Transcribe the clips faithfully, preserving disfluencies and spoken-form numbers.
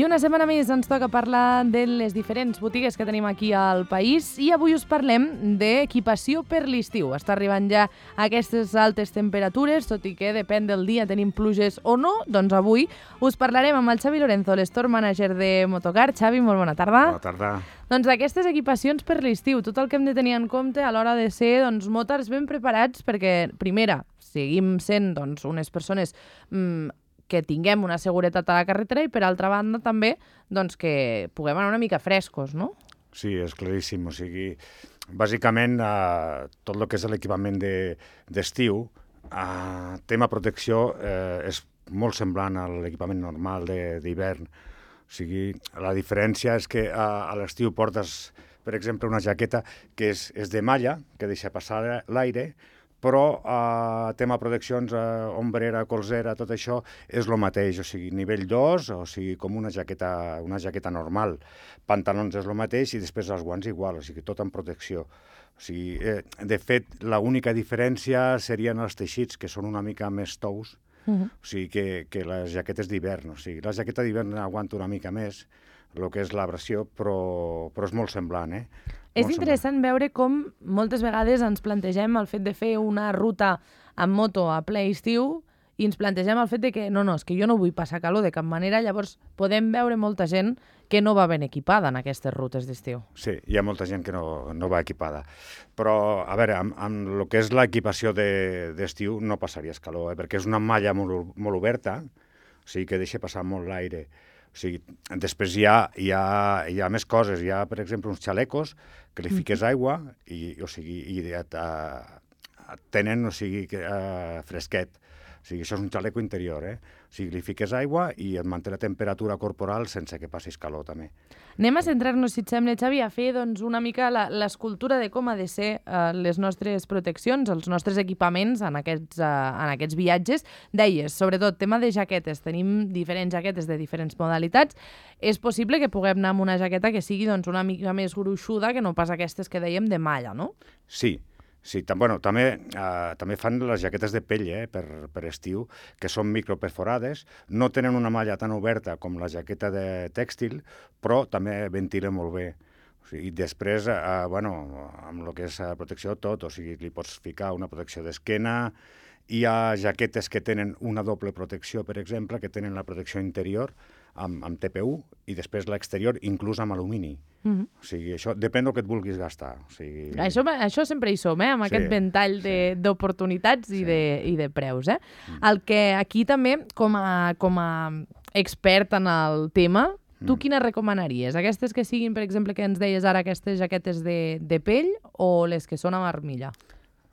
una setmana més ens toca parlar de les diferents botigues que tenim aquí al país i avui us parlem d'equipació per l'estiu. Està arribant ja aquestes altes temperatures, tot i que depèn del dia tenim pluges o no, doncs avui us parlarem amb el Xavi Lorenzo, l'Store Manager de Motocar. Xavi, molt bona tarda. Bona tarda. Doncs d'aquestes equipacions per l'estiu, tot el que hem de tenir en compte a l'hora de ser doncs, motars ben preparats perquè, primera, seguim sent doncs, unes persones mmm, que tinguem una seguretat a la carretera i, per altra banda, també doncs, que puguem anar una mica frescos, no? Sí, és claríssim. O sigui, bàsicament, eh, tot el que és l'equipament d'estiu, de, eh, tema protecció, eh, és molt semblant a l'equipament normal d'hivern. O sigui, la diferència és que a, a l'estiu portes, per exemple, una jaqueta que és, és de malla, que deixa passar l'aire, però eh, tema proteccions, eh, ombrera, colzera, tot això és el mateix, o sigui, nivell dos, o sigui, com una jaqueta, una jaqueta normal. Pantalons és el mateix i després els guants igual, o sigui, tot en protecció. O sigui, eh, de fet, l'única diferència serien els teixits, que són una mica més tous, uh-huh. o sigui, que, que les jaquetes d'hivern. O sigui, la jaqueta d'hivern aguanta una mica més, el que és l'abrasió, però, però és molt semblant, eh? És interessant veure com moltes vegades ens plantegem el fet de fer una ruta amb moto a ple estiu i ens plantegem el fet de que no, no, és que jo no vull passar calor de cap manera, llavors podem veure molta gent que no va ben equipada en aquestes rutes d'estiu. Sí, hi ha molta gent que no, no va equipada. Però, a veure, amb, amb el que és l'equipació d'estiu de, no passaries calor, eh? Perquè és una malla molt, molt oberta, o sigui que deixa passar molt l'aire. O sigui, després hi ha, hi, ha, hi ha més coses. Hi ha, per exemple, uns xalecos que li fiques aigua i, o sigui, i et, et tenen o sigui, uh, fresquet. O sigui, això és un xaleco interior, eh? O sigui, li fiques aigua i et manté la temperatura corporal sense que passis calor, també. Anem a centrar-nos, si et sembla, Xavi, a fer doncs, una mica l'escultura de com ha de ser uh, les nostres proteccions, els nostres equipaments en aquests, uh, en aquests viatges. Deies, sobretot, tema de jaquetes. Tenim diferents jaquetes de diferents modalitats. És possible que puguem anar amb una jaqueta que sigui doncs, una mica més gruixuda que no pas aquestes que dèiem de malla, no? Sí. Sí, tam, bueno, també, eh, també fan les jaquetes de pell eh, per, per estiu, que són microperforades, no tenen una malla tan oberta com la jaqueta de tèxtil, però també ventilen molt bé. O sigui, i després, eh, bueno, amb el que és protecció tot, o sigui, li pots ficar una protecció d'esquena, hi ha jaquetes que tenen una doble protecció, per exemple, que tenen la protecció interior amb, amb T P U i després l'exterior inclús amb alumini. Mm-hmm. O sigui, això depèn del que et vulguis gastar. O sigui... això, això sempre hi som, eh? Amb sí, aquest ventall d'oportunitats sí. i, de, i de preus. Eh? Mm. El que aquí també, com a, com a expert en el tema, tu mm. quines recomanaries? Aquestes que siguin, per exemple, que ens deies ara, aquestes jaquetes de, de pell o les que són amb armilla?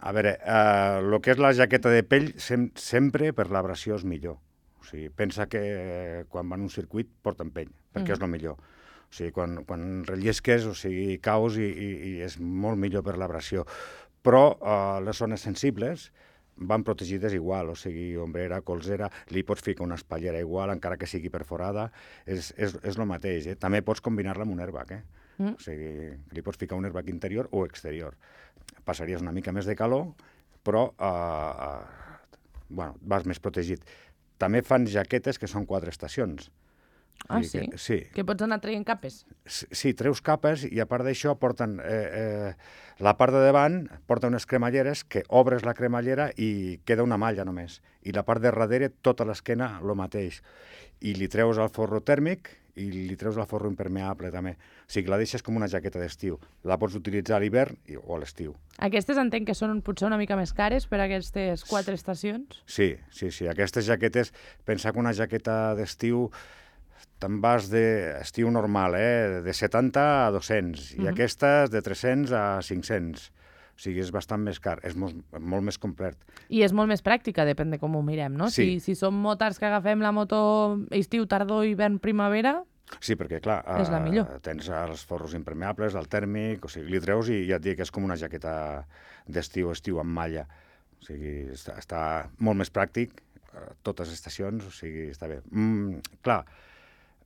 A veure, eh, el que és la jaqueta de pell sem sempre per l'abrasió és millor. O sigui, pensa que quan van a un circuit porten pell, perquè mm. és el millor. O sigui, quan, quan rellisques, o sigui, caus i, i, i és molt millor per l'abrasió. Però eh, les zones sensibles van protegides igual, o sigui, ombrera, colzera, li pots ficar una espatllera igual, encara que sigui perforada, és, és, és el mateix. Eh? També pots combinar-la amb un airbag, eh? Mm. O sigui, li pots ficar un airbag interior o exterior. Passaries una mica més de calor, però eh, eh, bueno, vas més protegit. També fan jaquetes que són quatre estacions. Ah, sí? Que, sí. Que pots anar traient capes? Sí, treus capes i a part d'això porten... Eh, eh, la part de davant porta unes cremalleres que obres la cremallera i queda una malla només. I la part de darrere, tota l'esquena, el mateix. I li treus el forro tèrmic i li treus el forro impermeable també. O sigui, la deixes com una jaqueta d'estiu. La pots utilitzar a l'hivern o a l'estiu. Aquestes entenc que són potser una mica més cares per a aquestes quatre estacions? Sí, sí, sí. Aquestes jaquetes, pensa que una jaqueta d'estiu te'n vas d'estiu normal, eh? de setanta a dos-cents, uh-huh. i aquestes de tres-cents a cinc-cents. O sigui, és bastant més car, és molt, molt més complet. I és molt més pràctica, depèn de com ho mirem, no? Sí. Si, si som motars que agafem la moto estiu, tardor, hivern, primavera... Sí, perquè, clar, és la millor. Uh, tens els forros impermeables, el tèrmic, o sigui, li treus i ja et dic que és com una jaqueta d'estiu, estiu amb malla. O sigui, està, està molt més pràctic, uh, totes les estacions, o sigui, està bé. Mm, clar,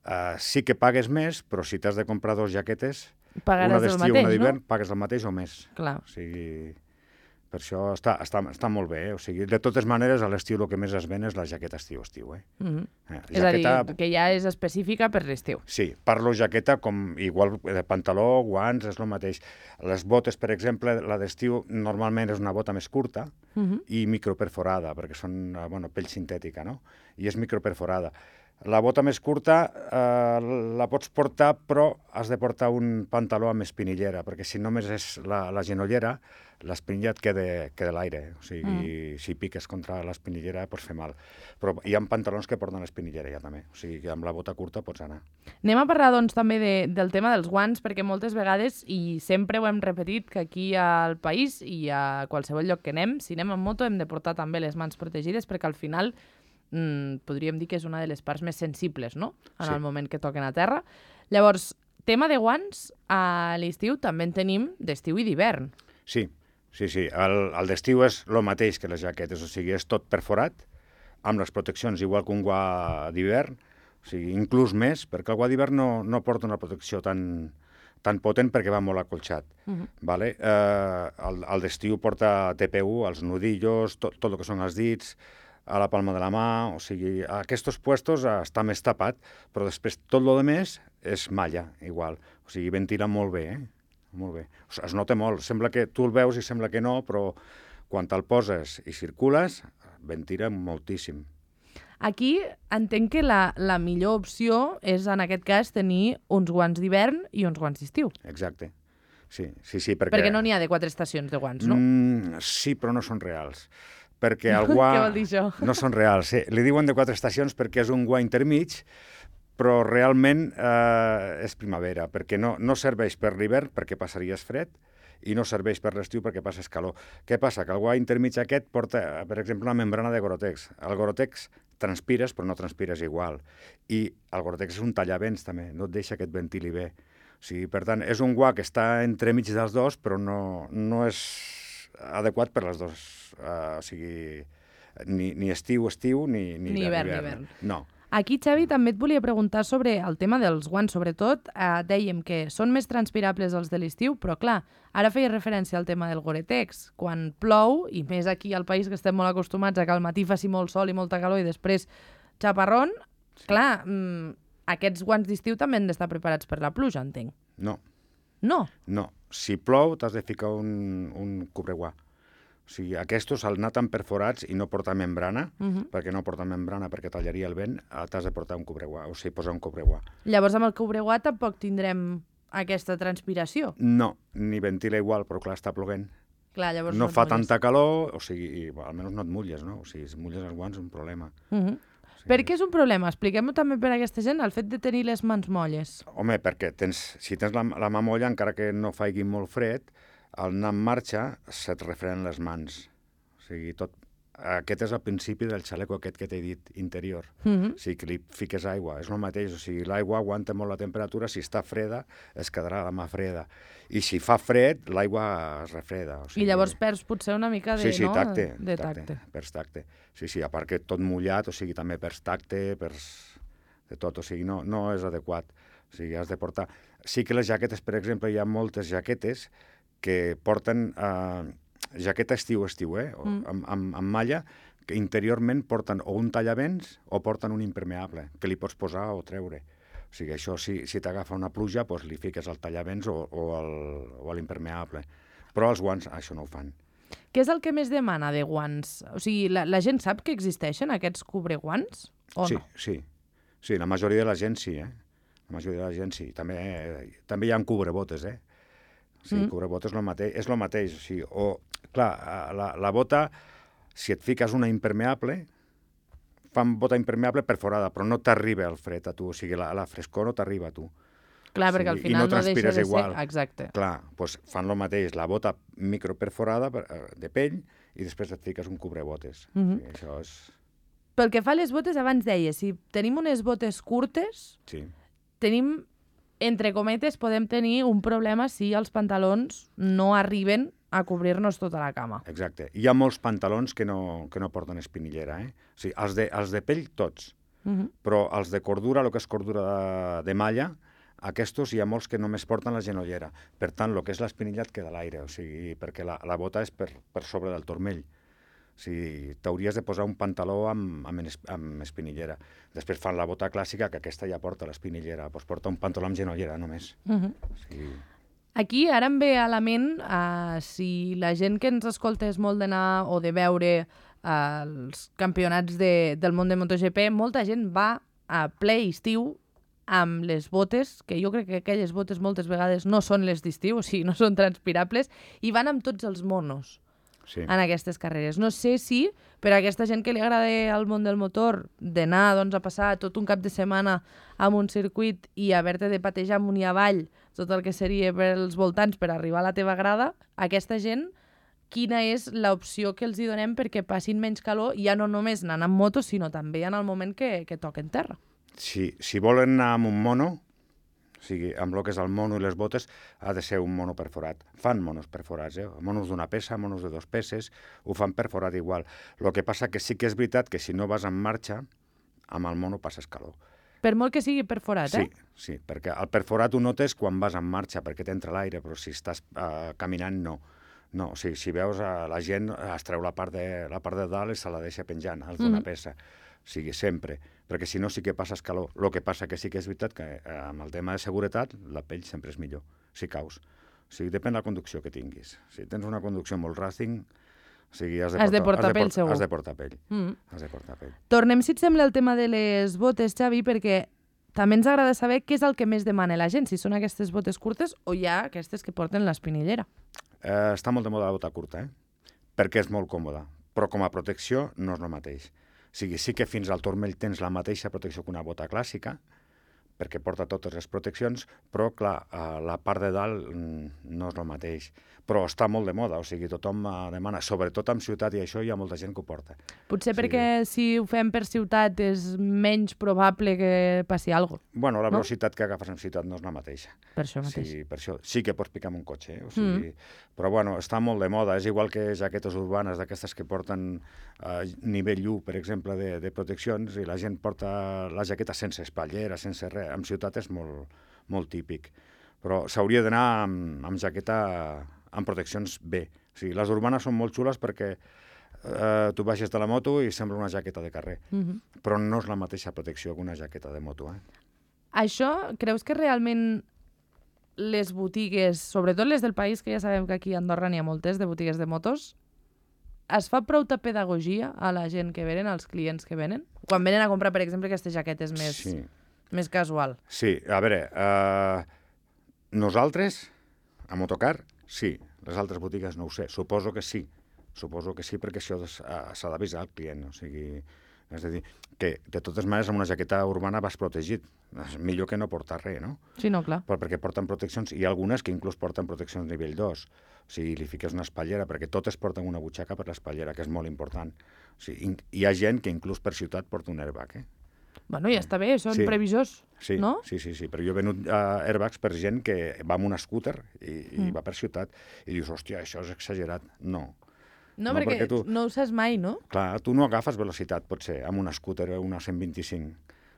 Uh, sí que pagues més, però si t'has de comprar dos jaquetes, pagaràs una d'estiu i una d'hivern, no? pagues el mateix o més. Clar. O sigui, Per això està, està, està molt bé, eh? O sigui, de totes maneres, a l'estiu el que més es ven és la jaqueta estiu-estiu, eh? Mm-hmm. eh És jaqueta... a dir, que ja és específica per l'estiu. Sí, parlo jaqueta com igual de pantaló, guants, és el mateix. Les botes, per exemple, la d'estiu normalment és una bota més curta mm-hmm. i microperforada, perquè són, bueno, pell sintètica, no? I és microperforada. La bota més curta eh, la pots portar, però has de portar un pantaló amb espinillera, perquè si només és la, la genollera, l'espinilla et queda, queda l'aire. O sigui, mm. si piques contra l'espinillera pots fer mal. Però hi ha pantalons que porten espinillera ja també. O sigui, que amb la bota curta pots anar. Anem a parlar, doncs, també de, del tema dels guants, perquè moltes vegades, i sempre ho hem repetit, que aquí al país i a qualsevol lloc que anem, si anem en moto hem de portar també les mans protegides, perquè al final mm, podríem dir que és una de les parts més sensibles, no?, en sí. el moment que toquen a terra. Llavors, tema de guants, a l'estiu també en tenim d'estiu i d'hivern. Sí, sí, sí. El, el d'estiu és el mateix que les jaquetes, o sigui, és tot perforat, amb les proteccions igual que un guà d'hivern, o sigui, inclús més, perquè el guà d'hivern no, no porta una protecció tan, tan potent perquè va molt acolxat. Uh-huh. Vale? Eh, el el d'estiu porta T P U, els nudillos, tot, tot el que són els dits, a la palma de la mà, o sigui, a aquests puestos està més tapat, però després tot el més és malla, igual. O sigui, ventila molt bé, eh? Molt bé. O sigui, es nota molt. Sembla que tu el veus i sembla que no, però quan te'l poses i circules, ventila moltíssim. Aquí entenc que la, la millor opció és, en aquest cas, tenir uns guants d'hivern i uns guants d'estiu. Exacte. Sí, sí, sí, perquè... Perquè no n'hi ha de quatre estacions de guants, no? Mm, sí, però no són reals. Perquè el guà... Què vol dir això? No són reals. Sí. Li diuen de quatre estacions perquè és un guà intermig, però realment eh, és primavera, perquè no, no serveix per l'hivern perquè passaries fred i no serveix per l'estiu perquè passes calor. Què passa? Que el guà intermig aquest porta, per exemple, una membrana de Gore-Tex. El Gore-Tex transpires, però no transpires igual. I el Gore-Tex és un tallavents, també, no et deixa que et ventili bé. O sigui, per tant, és un guà que està entremig dels dos, però no, no és adequat per les dues. Uh, o sigui, ni, ni estiu, estiu, ni, ni, ni hivern, hivern. hivern. No. Aquí, Xavi, també et volia preguntar sobre el tema dels guants. Sobretot, eh, dèiem que són més transpirables els de l'estiu, però clar, ara feia referència al tema del Gore-Tex. Quan plou, i més aquí al país que estem molt acostumats a que al matí faci molt sol i molta calor i després xaparrón, sí. clar, mmm, aquests guants d'estiu també han d'estar preparats per la pluja, entenc. No. No? No. Si plou, t'has de ficar un, un cobreguà. O sigui, aquests, al anar tan perforats i no portar membrana, uh-huh. perquè no porta membrana perquè tallaria el vent, t'has de portar un cobreguà, o sigui, posar un cobreguà. Llavors, amb el cobreguà tampoc tindrem aquesta transpiració? No, ni ventila igual, però clar, està ploguent. Clar, llavors no no fa mulles. Tanta calor, o sigui, i, almenys no et mulles, no? O sigui, si mulles els guants és un problema. Uh-huh. O sigui, per què és un problema? Expliquem-ho també per a aquesta gent, el fet de tenir les mans molles. Home, perquè tens, si tens la, la mà molla, encara que no faigui molt fred, al anar en marxa se't refreden les mans. O sigui, tot... Aquest és el principi del xaleco aquest que t'he dit, interior. Uh-huh. O sigui, que li fiques aigua, és el mateix. O sigui, l'aigua aguanta molt la temperatura, si està freda, es quedarà la mà freda. I si fa fred, l'aigua es refreda. O sigui... I llavors perds potser una mica de, sí, sí, no? tacte, de tacte. tacte. Perds tacte. Sí, sí, a part que tot mullat, o sigui, també perds tacte, perds de tot. O sigui, no, no és adequat. O sigui, has de portar... Sí que les jaquetes, per exemple, hi ha moltes jaquetes que porten eh, jaqueta estiu-estiu, eh? Mm. amb, amb, amb malla, que interiorment porten o un tallavents o porten un impermeable, que li pots posar o treure. O sigui, això, si, si t'agafa una pluja, doncs li fiques el tallavents o, o l'impermeable. Però els guants, això no ho fan. Què és el que més demana de guants? O sigui, la, la gent sap que existeixen aquests cobreguants o sí, no? Sí, sí. La majoria de la gent sí, eh? La majoria de la gent sí. També, eh, també hi ha cobrebotes, eh? Sí, mm. cobrebotes és el mateix, és el mateix. O sigui, o, clar, la, la bota, si et fiques una impermeable, fan bota impermeable perforada, però no t'arriba el fred a tu, o sigui, la, la frescor no t'arriba a tu. Clar, o sigui, perquè al final no, no deixa de igual. ser... Exacte. Clar, doncs fan el mateix, la bota microperforada de pell i després et fiques un cobrebotes. Mm-hmm. O sigui, això és... Pel que fa a les botes, abans deia, si tenim unes botes curtes, sí. tenim... entre cometes, podem tenir un problema si els pantalons no arriben a cobrir-nos tota la cama. Exacte. Hi ha molts pantalons que no, que no porten espinillera, eh? O sigui, els de, els de pell, tots. Uh-huh. Però els de cordura, el que és cordura de, de malla, Aquests hi ha molts que només porten la genollera. Per tant, el que és l'espinilla et queda a l'aire, o sigui, perquè la, la bota és per, per sobre del turmell. O sigui, t'hauries de posar un pantaló amb, amb, es- amb espinillera. Després fan la bota clàssica, que aquesta ja porta l'espinillera. Doncs porta un pantaló amb genollera, només. Mhm. O sigui, Aquí ara em ve a la ment uh, si la gent que ens escolta és molt d'anar o de veure uh, els campionats de, del món de MotoGP, molta gent va a ple estiu amb les botes, que jo crec que aquelles botes moltes vegades no són les d'estiu, o sigui, no són transpirables, i van amb tots els monos sí. en aquestes carreres. No sé si per a aquesta gent que li agrada el món del motor d'anar doncs, a passar tot un cap de setmana amb un circuit i haver-te de patejar amunt i avall tot el que seria pels voltants per arribar a la teva grada, aquesta gent, quina és l'opció que els hi donem perquè passin menys calor, ja no només anant amb moto, sinó també en el moment que, que toquen terra. Si, si volen anar amb un mono, o sigui, amb el que és el mono i les botes, ha de ser un mono perforat. Fan monos perforats, eh? Monos d'una peça, monos de dos peces, ho fan perforat igual. El que passa que sí que és veritat que si no vas en marxa, amb el mono passes calor. Per molt que sigui perforat, Sí, eh? sí, perquè el perforat ho notes quan vas en marxa, perquè t'entra l'aire, però si estàs uh, caminant, no. No, o sigui, si veus, uh, la gent es treu la part de, la part de dalt i se la deixa penjant, els d'una Mhm. peça. O sigui, sempre. Perquè si no sí que passes calor. El que passa que sí que és veritat que eh, amb el tema de seguretat la pell sempre és millor, si caus. O sigui, depèn de la conducció que tinguis. Si tens una conducció molt racing, o sigui, has de Has de portar, portar pell, segur. Has de portar pell. Mm. Has de portar pell. Tornem, si et sembla, al tema de les botes, Xavi, perquè també ens agrada saber què és el que més demana la gent, si són aquestes botes curtes o hi ha aquestes que porten l'espinillera. Eh, està molt de moda la bota curta, eh? Perquè és molt còmoda. Però com a protecció no és el mateix. O sigui, sí que fins al turmell tens la mateixa protecció que una bota clàssica, perquè porta totes les proteccions, però, clar, eh, la part de dalt mm, no és el mateix. Però està molt de moda, o sigui, tothom eh, demana, sobretot en ciutat i això hi ha molta gent que ho porta. Potser Sí. perquè si ho fem per ciutat és menys probable que passi alguna cosa. Bueno, la No? velocitat que agafes en ciutat no és la mateixa. Per això mateix. Sí, per això sí que pots picar amb un cotxe, eh? O sigui, mm. Però bueno, està molt de moda. És igual que jaquetes urbanes d'aquestes que porten eh, nivell u, per exemple, de, de proteccions, i la gent porta la jaqueta sense espatllera, sense res. En ciutat és molt, molt típic. Però s'hauria d'anar amb, amb jaqueta amb proteccions bé. O sigui, les urbanes són molt xules perquè eh, tu baixes de la moto i sembla una jaqueta de carrer. Mm -hmm. Però no és la mateixa protecció que una jaqueta de moto, eh? Això, creus que realment les botigues, sobretot les del país, que ja sabem que aquí a Andorra n'hi ha moltes de botigues de motos, es fa prou pedagogia a la gent que venen, als clients que venen? Quan venen a comprar, per exemple, aquestes jaquetes més, Sí. més casual. Sí, a veure, eh, nosaltres, a Motocar, sí. Les altres botigues no ho sé. Suposo que sí. Suposo que sí, perquè això es- eh, s'ha d'avisar al client. O sigui, és a dir, que de totes maneres amb una jaqueta urbana vas protegit. És millor que no portar res, no? Sí, no, clar. Però perquè porten proteccions, hi ha algunes que inclús porten proteccions nivell dos. O sigui, li fiques una espatllera, perquè totes porten una butxaca per l'espatllera, que és molt important. O sigui, in- hi ha gent que inclús per ciutat porta un airbag, eh? Bueno, ja està bé, són Sí. previsors, Sí, no? sí, sí, sí, però jo he venut uh, airbags per gent que va amb un scooter i, i Mm. va per ciutat i dius, hòstia, això és exagerat. No. No, No, perquè, perquè tu- no ho saps mai, no? Clar, tu no agafes velocitat, potser, amb un scooter o una cent vint-i-cinc.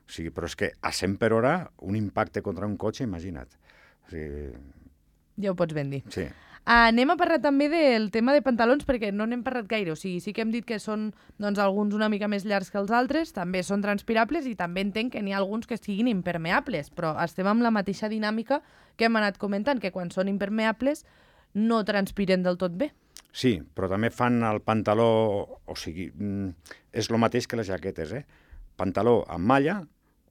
O sigui, però és que a cent per hora, un impacte contra un cotxe, imagina't. O sigui, Ja ho pots ben dir. sí. Uh, anem a parlar també del tema de pantalons, perquè no n'hem parlat gaire. O sigui, sí que hem dit que són doncs, alguns una mica més llargs que els altres, també són transpirables i també entenc que n'hi ha alguns que siguin impermeables, però estem amb la mateixa dinàmica que hem anat comentant, que quan són impermeables no transpiren del tot bé. Sí, però també fan el pantaló, o sigui, mm, és el mateix que les jaquetes, eh? Pantaló amb malla,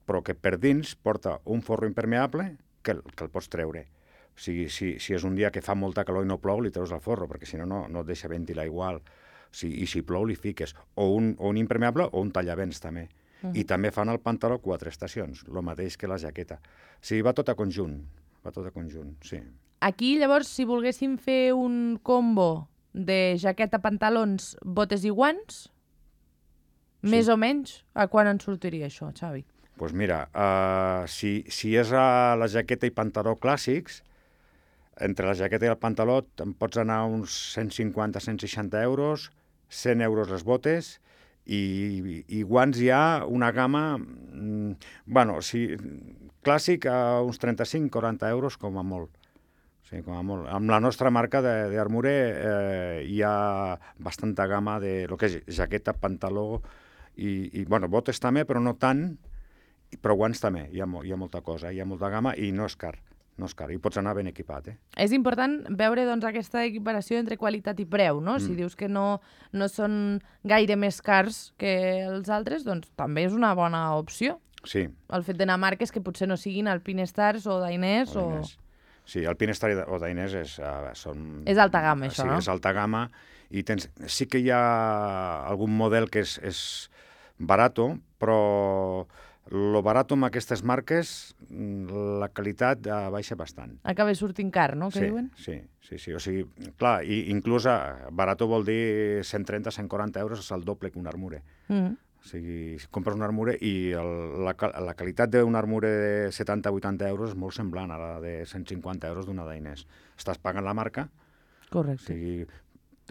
però que per dins porta un forro impermeable que, el- que el pots treure. O sigui, si, si és un dia que fa molta calor i no plou, li treus el forro, perquè si no, no, no et deixa ventilar igual. O sigui, i si plou, li fiques o un, o un impermeable o un tallavents, també. Mhm. I també fan el pantaló quatre estacions, el mateix que la jaqueta. O sigui, va tot a conjunt, va tot a conjunt, sí. Aquí, llavors, si volguéssim fer un combo de jaqueta, pantalons, botes i guants, Sí. més o menys, a quan ens sortiria això, Xavi? Doncs pues mira, uh, si, si és a la jaqueta i pantaló clàssics, entre la jaqueta i el pantaló te'n pots anar a uns cent cinquanta a cent seixanta euros, cent euros les botes I, i guants hi ha una gamma, mm, bueno, si, clàssic a uns trenta-cinc quaranta euros com a molt. Sí, com a molt. Amb la nostra marca d'Armure eh, hi ha bastanta gamma de lo que és jaqueta, pantaló i, i bueno, botes també, però no tant, però guants també. Hi ha, hi ha molta cosa, hi ha molta gamma i no és car. No és car, i pots anar ben equipat, eh? És important veure doncs, aquesta equiparació entre qualitat i preu, no? Mm. Si dius que no, no són gaire més cars que els altres, doncs també és una bona opció. Sí. El fet d'anar a marques que potser no siguin Alpine Stars o Dainers o... o... Sí, Alpine Star o Dainers és, uh, són... És alta gamma, això, sí, no? Sí, és alta gamma. I tens... sí que hi ha algun model que és, és barato, però lo barato amb aquestes marques, la qualitat uh, baixa bastant. Acaba sortint car, no?, que sí, diuen? Sí, sí, sí. O sigui, clar, i, inclús uh, barato vol dir cent trenta cent quaranta euros, és el doble que un Armure. Mm -hmm. O sigui, si compres un Armure i el, la, la qualitat d'un Armure de setanta vuitanta euros és molt semblant a la de cent cinquanta euros d'una Dainers. Estàs pagant la marca. Correcte. O sigui,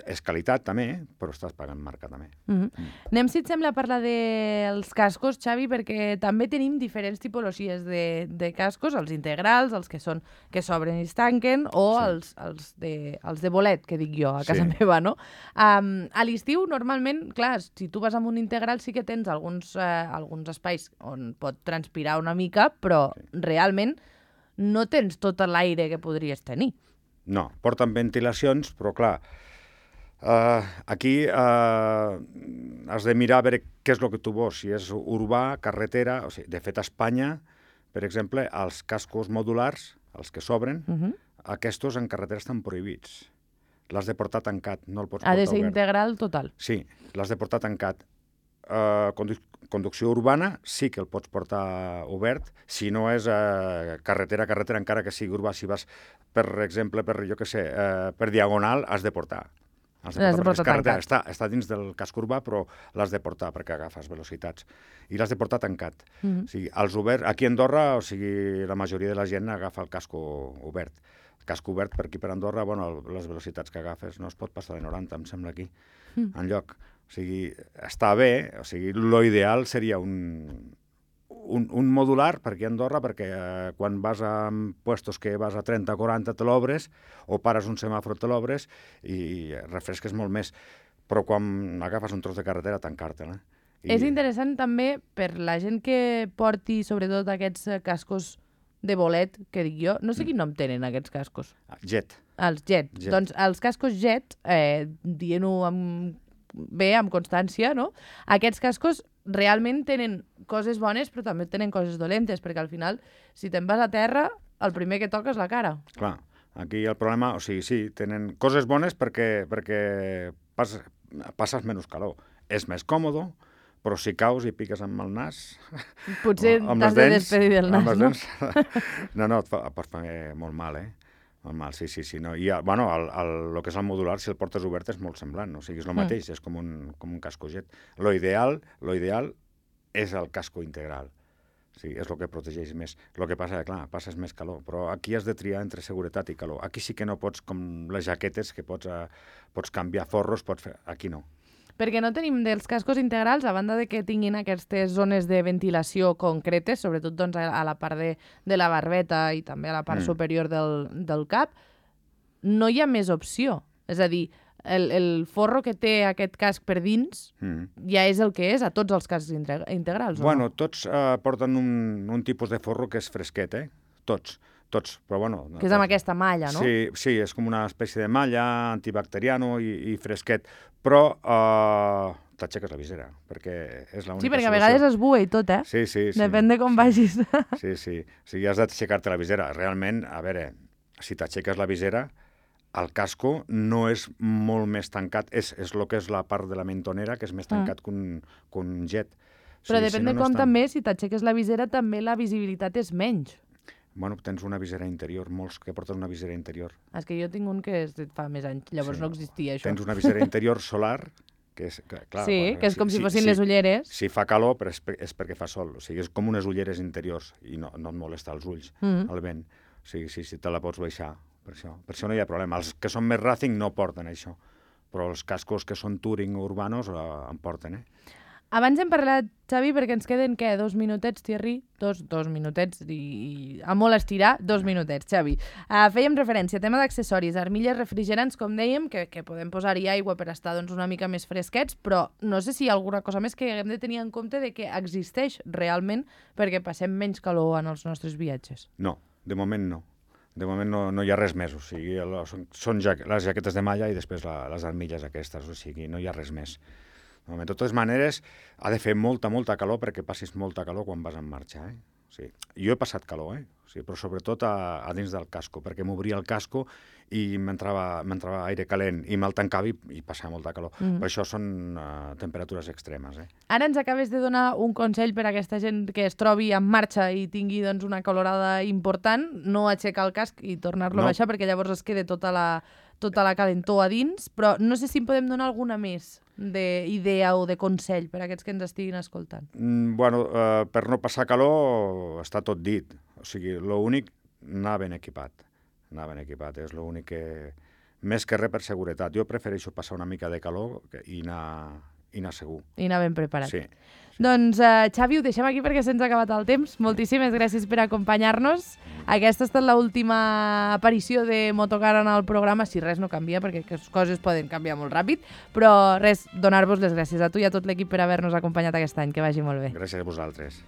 és qualitat també, però estàs pagant marca també. Mm-hmm. Mm. Anem, si et sembla, a parlar dels cascos, Xavi, perquè també tenim diferents tipologies de, de cascos, els integrals, els que són que s'obren i es tanquen, o sí. els, els, de, els de bolet, que dic jo, a casa sí. meva, no? Um, a l'estiu, normalment, clar, si tu vas amb un integral sí que tens alguns, uh, alguns espais on pot transpirar una mica, però sí. realment no tens tot l'aire que podries tenir. No, porten ventilacions, però clar, Uh, aquí uh, has de mirar a veure què és el que tu vols, si és urbà, carretera... O sigui, de fet, a Espanya, per exemple, els cascos modulars, els que s'obren, uh -huh. aquests en carretera estan prohibits. L'has de portar tancat, no el pots portar obert. Ha de ser obert. integral total. Sí, l'has de portar tancat. Uh, condu conducció urbana sí que el pots portar obert, si no és uh, carretera, carretera, encara que sigui urbà. Si vas, per exemple, per, jo què sé, uh, per diagonal, has de portar. L'has de portar, de portar tancat. Està, està dins del casc urbà, però l'has de portar perquè agafes velocitats. I l'has de portar tancat. Mm-hmm. O sigui, els oberts, aquí a Andorra, o sigui, la majoria de la gent agafa el casco obert. El casco obert per aquí per Andorra, bueno, les velocitats que agafes no es pot passar de noranta, em sembla, aquí, mm. enlloc. O sigui, està bé, o sigui, l'ideal seria un... Un, un modular per aquí a Andorra, perquè eh, quan vas a puestos que vas a trenta o quaranta te l'obres, o pares un semàfor te l'obres i refresques molt més. Però quan agafes un tros de carretera, tancar-te-la. I... És interessant també per la gent que porti, sobretot, aquests cascos de bolet, que dic jo. No sé quin nom tenen aquests cascos. Jet. Els jet. jet. Doncs els cascos jet, eh, dient-ho amb... bé, amb constància, no? Aquests cascos realment tenen coses bones, però també tenen coses dolentes, perquè al final, si te'n vas a terra, el primer que toca és la cara. Clar, aquí el problema, o sigui, sí, tenen coses bones perquè, perquè pas, passes menys calor. És més còmode, però si caus i piques amb el nas... Potser t'has de despedir del nas, no? Dents, no, no, et fa, pot fer molt mal, eh? Molt mal, sí, sí, sí. No. I, bueno, el, el, el que és el modular, si el portes obert, és molt semblant. O sigui, és el mateix, mm. és com un, com un casco jet. Lo ideal, lo ideal és el casco integral. Sí, és el que protegeix més. El que passa, clar, passes més calor, però aquí has de triar entre seguretat i calor. Aquí sí que no pots, com les jaquetes, que pots, uh, pots canviar forros, pots fer... Aquí no. Perquè no tenim dels cascos integrals, a banda de que tinguin aquestes zones de ventilació concretes, sobretot doncs, a la part de, de la barbeta i també a la part mm. superior del, del cap, no hi ha més opció. És a dir, el, el forro que té aquest casc per dins mm. ja és el que és a tots els cascs integrals, bueno, o no? Tots uh, porten un, un tipus de forro que és fresquet, eh? Tots. Tots, però bueno... Que és amb aquesta malla, no? Sí, sí, és com una espècie de malla, antibacteriano i, i fresquet, però uh, t'aixeques la visera, perquè és l'única solució. Sí, perquè a vegades es bua i tot, eh? Sí, sí, sí. Depèn de com vagis. Sí, sí. O sigui, has d'aixecar-te la visera. Realment, a veure, si t'aixeques la visera, el casco no és molt més tancat, és, és el que és la part de la mentonera, que és més tancat mm. que, un, que un jet. Però sí, depèn si no, de com no estan... també, si t'aixeques la visera, també la visibilitat és menys. Bueno, tens una visera interior, molts que porten una visera interior. És que jo tinc un que és de fa més anys, llavors sí. no existia això. Tens una visera interior solar, que és... Que, clar, sí, bueno, que és com si, si fossin si, les ulleres. Si fa calor, però és, és perquè fa sol. O sigui, és com unes ulleres interiors i no, no et molesta els ulls, mm -hmm. el vent. O sigui, sí, sí, te la pots baixar, per això. Per això no hi ha problema. Els que són més Racing no porten això. però els cascos que són touring o urbanos eh, en porten, eh? Abans hem parlat, Xavi, perquè ens queden, què, dos minutets, Thierry? Dos, dos minutets, i, i a molt estirar, dos minutets, Xavi. Uh, fèiem referència a tema d'accessoris, armilles refrigerants, com dèiem, que, que podem posar-hi aigua per estar doncs, una mica més fresquets, però no sé si hi ha alguna cosa més que haguem de tenir en compte de que existeix realment perquè passem menys calor en els nostres viatges. No, de moment no. De moment no, no hi ha res més, o sigui, el, són, són ja, les jaquetes de malla i després la, les armilles aquestes, o sigui, no hi ha res més. De totes maneres, ha de fer molta, molta calor perquè passis molta calor quan vas en marxa. Eh? O sigui, jo he passat calor, eh? O sigui, però sobretot a, a dins del casco, perquè m'obria el casco i m'entrava aire calent i me'l tancava i, i passava molta calor. Mm. Per això són uh, temperatures extremes. Eh? Ara ens acabes de donar un consell per a aquesta gent que es trobi en marxa i tingui doncs, una calorada important, no aixecar el casc i tornar-lo no. a baixar perquè llavors es queda tota la, tota la calentor a dins, però no sé si en podem donar alguna més d'idea o de consell per a aquests que ens estiguin escoltant. Mm, bueno, uh, per no passar calor està tot dit. O sigui, l'únic, anar ben equipat. Anar ben equipat, és l'únic que... Més que res per seguretat. Jo prefereixo passar una mica de calor i anar, i anar segur. I anar ben preparat. Sí. Doncs, uh, Xavi, ho deixem aquí perquè se'ns ha acabat el temps. Moltíssimes gràcies per acompanyar-nos. Aquesta ha estat l'última aparició de Motocar en el programa, si res no canvia, perquè les coses poden canviar molt ràpid, però res, donar-vos les gràcies a tu i a tot l'equip per haver-nos acompanyat aquest any. Que vagi molt bé. Gràcies a vosaltres.